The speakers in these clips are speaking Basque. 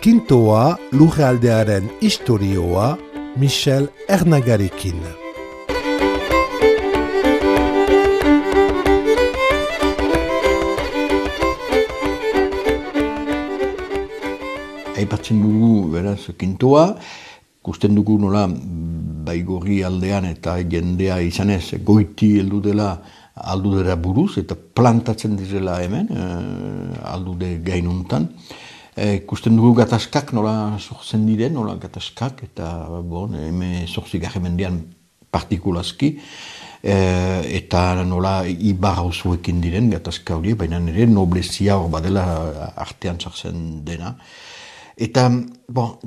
Kintoa lurraldearen istorioa Michel Ernagarekin. Aipatzen dugu, beraz, Kintoa, ikusten dugu nola Baigorri aldean eta jendea izanez goiti heldudela aldudera buruz eta plantatzen direla hemen, aldude gainuntan. Ikusten dugu gatazkak nola sortzen diren, nola gatazkak eta hemen zortzigarren mendean partikulazki, eta nola ibar hauzuekin diren gatazka horiek, baina nire noblezia hor badela artean sartzen dena. Eta,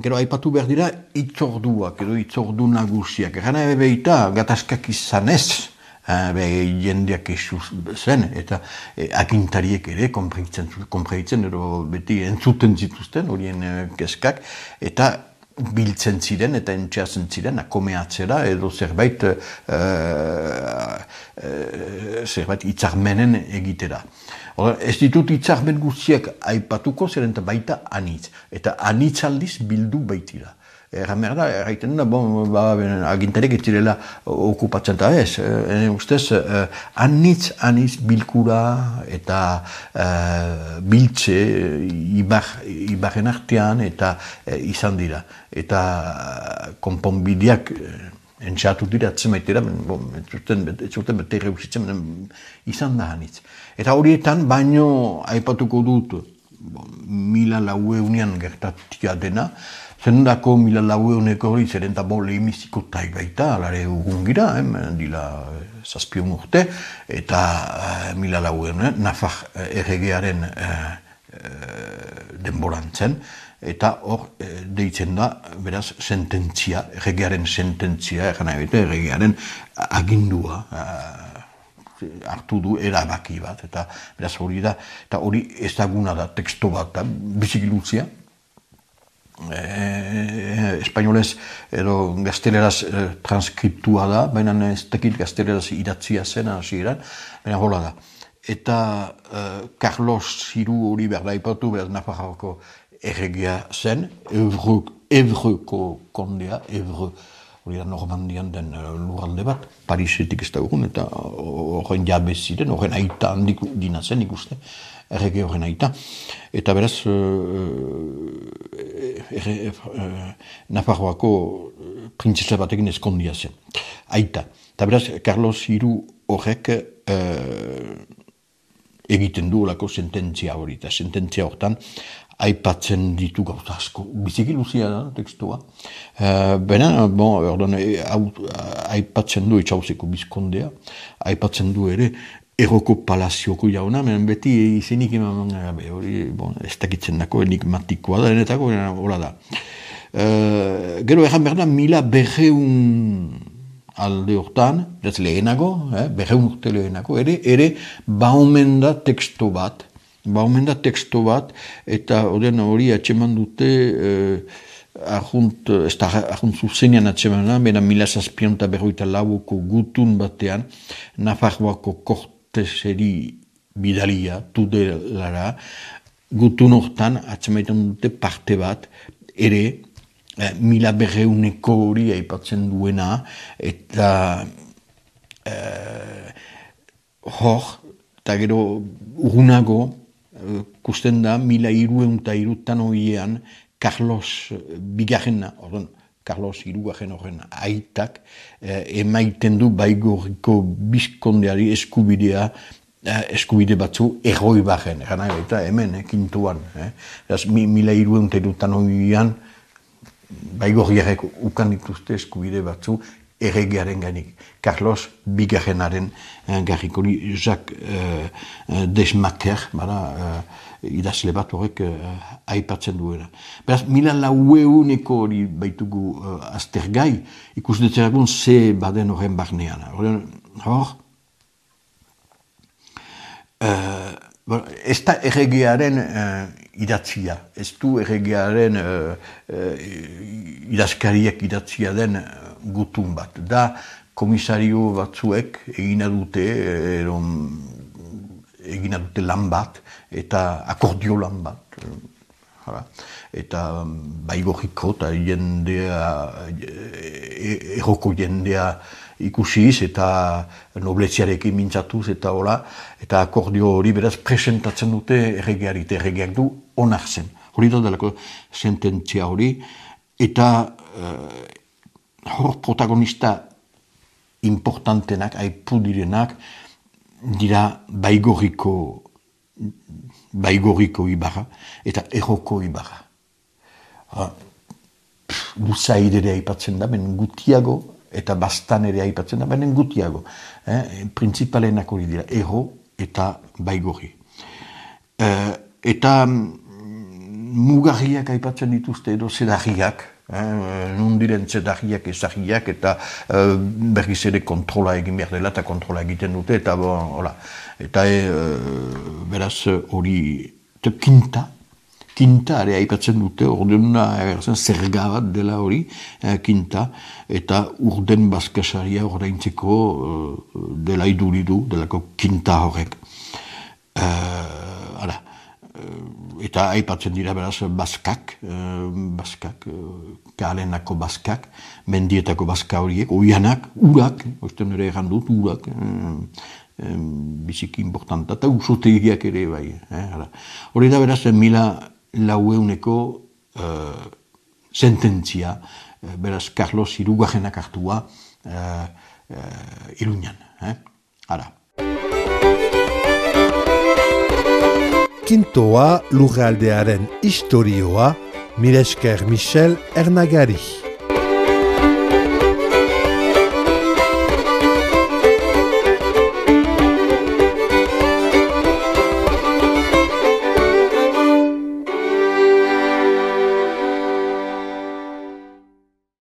gero aipatu behar dira itzorduak, edo itzordu nagusiak. Gana beita gatazkak izanez, jendeak esu zen, eta agintariek ere konpreitzen, edo beti entzuten zituzten horien kezkak, eta biltzen ziren eta entxeatzen ziren akomeatzera edo zerbait hitzarmenen egitera. Ez ditut hitzarmen guztiak aipatuko zeren eta baita anitz. Eta anitz aldiz bildu baitira. Erraiten da, agintariek ez direla okupatzen eta ez. Ustez, anitz bilkura eta biltze ibarren artean eta izan dira. Eta konponbideak entxatu dira, atzemaitera, ez zuten bete reusitzen, izan da anitz. Eta horietan, baino aipatuko dut, 1400ean gertatia dena, zendako 1400 hori zeren eta lehimiziko taik baita, alare ugungira, dila 7 urte, eta 1400 Nafar erregearen denboran zen, eta hor deitzen da, beraz, sententzia, erregearen sententzia, erregearen agindua, hartu du erabaki bat, eta beraz hori da, eta hori ezaguna da, teksto bat da, bizikiluzia, espainolez edo gazteleraz transkriptua da, baina ez dakit gazteleraz idatzia zen hasieran, baina hola da. Eta Carlos III hori behar da ipatu, beraz Nafarroako erregea zen, Evreko kondea, Evre, hori da Normandian den lurralde bat, Parisetik ez da urun, eta horren jabe ziren, horren aita handik dina zen ikuste, errege horren aita. Eta beraz, Nafarroako printzesa batekin eskondia zen, aita. Eta beraz, Carlos III horrek egiten du olako sententzia hori, eta sententzia hortan aipatzen ditu gauza asko. Biziki luzia da, tekstua. Baina, aipatzen du etxauzeko bizkondea, aipatzen du ere Erroko palazioko jauna, beti izenik eman gabe, hori ez dakitzen dako enigmatikoa da, denetako, hola da. Gero erran behar da, 1200 alde hortan, lehenago, 200 urte lehenago, ere baumen da teksto bat, eta hori atxeman dute, ez da arjunt zuzenean atxeman da, bera 1754ko gutun batean, Nafarroako korteseri bidalia, tudelara, gutun hortan atxemaitan dute parte bat, ere, 1200ko hori aipatzen duena, eta eta gero urgunago, kusten da, 1303 horiean, Carlos bigarrena, Carlos hirugarren horren aitak, emaiten du Baigorriko bizkondeari eskubide batzu erroi barren, eta hemen, Kintoan. 1303 horiean, Baigorriarek ukan dituzte eskubide batzu erregearen gainik. Carlos bigarrenaren garrikori Jacques Desmaquer, idazle bat horrek aipatzen duena. Beraz, 1400ko hori baitugu aztergai, ikustetzeragun ze baden horren barnean. Ez da erregearen idatzia, ez du erregearen idazkariak idatzia den gutun bat. Da komisario batzuek egina dute lan bat, eta akordio lan bat. Eta Baigorriko eta jendea, erroko jendea ikusiz eta nobleziarekin mintzatuz eta hola, eta akordio hori beraz presentatzen dute erregeari, eta erregeak du onartzen. Hori da delako sententzia hori, eta hor protagonista importantenak, aipu direnak, dira Baigorriko ibarra eta erroko ibarra. Luzaid ere aipatzen da, benen gutiago, eta bastan ere aipatzen da, benen gutiago. Principalenak hori dira, erro eta Baigorri. Eta mugarriak aipatzen dituzte edo zedarriak, nun diren zedarriak, ezagiak, eta berriz ere kontrola egin behar dela, eta kontrola egiten dute, eta hola. Eta beraz hori, kinta ere aipatzen dute, ordena zerga bat dela hori, kinta, eta urden bazkasaria ordaintzeko dela iduridu, delako kinta horrek. Eta aipatzen dira beraz bazkak, kalenako bazkak, mendietako bazka horiek, oianak, urak, oizten ere egan dut, urak, biziki importanta, eta usotegiak ere bai. Hori da beraz 1400 sententzia, beraz Carlos hirugarrenak hartua Iruñan. Kintoa lurraldearen istorioa, mila esker Michel Ernagari.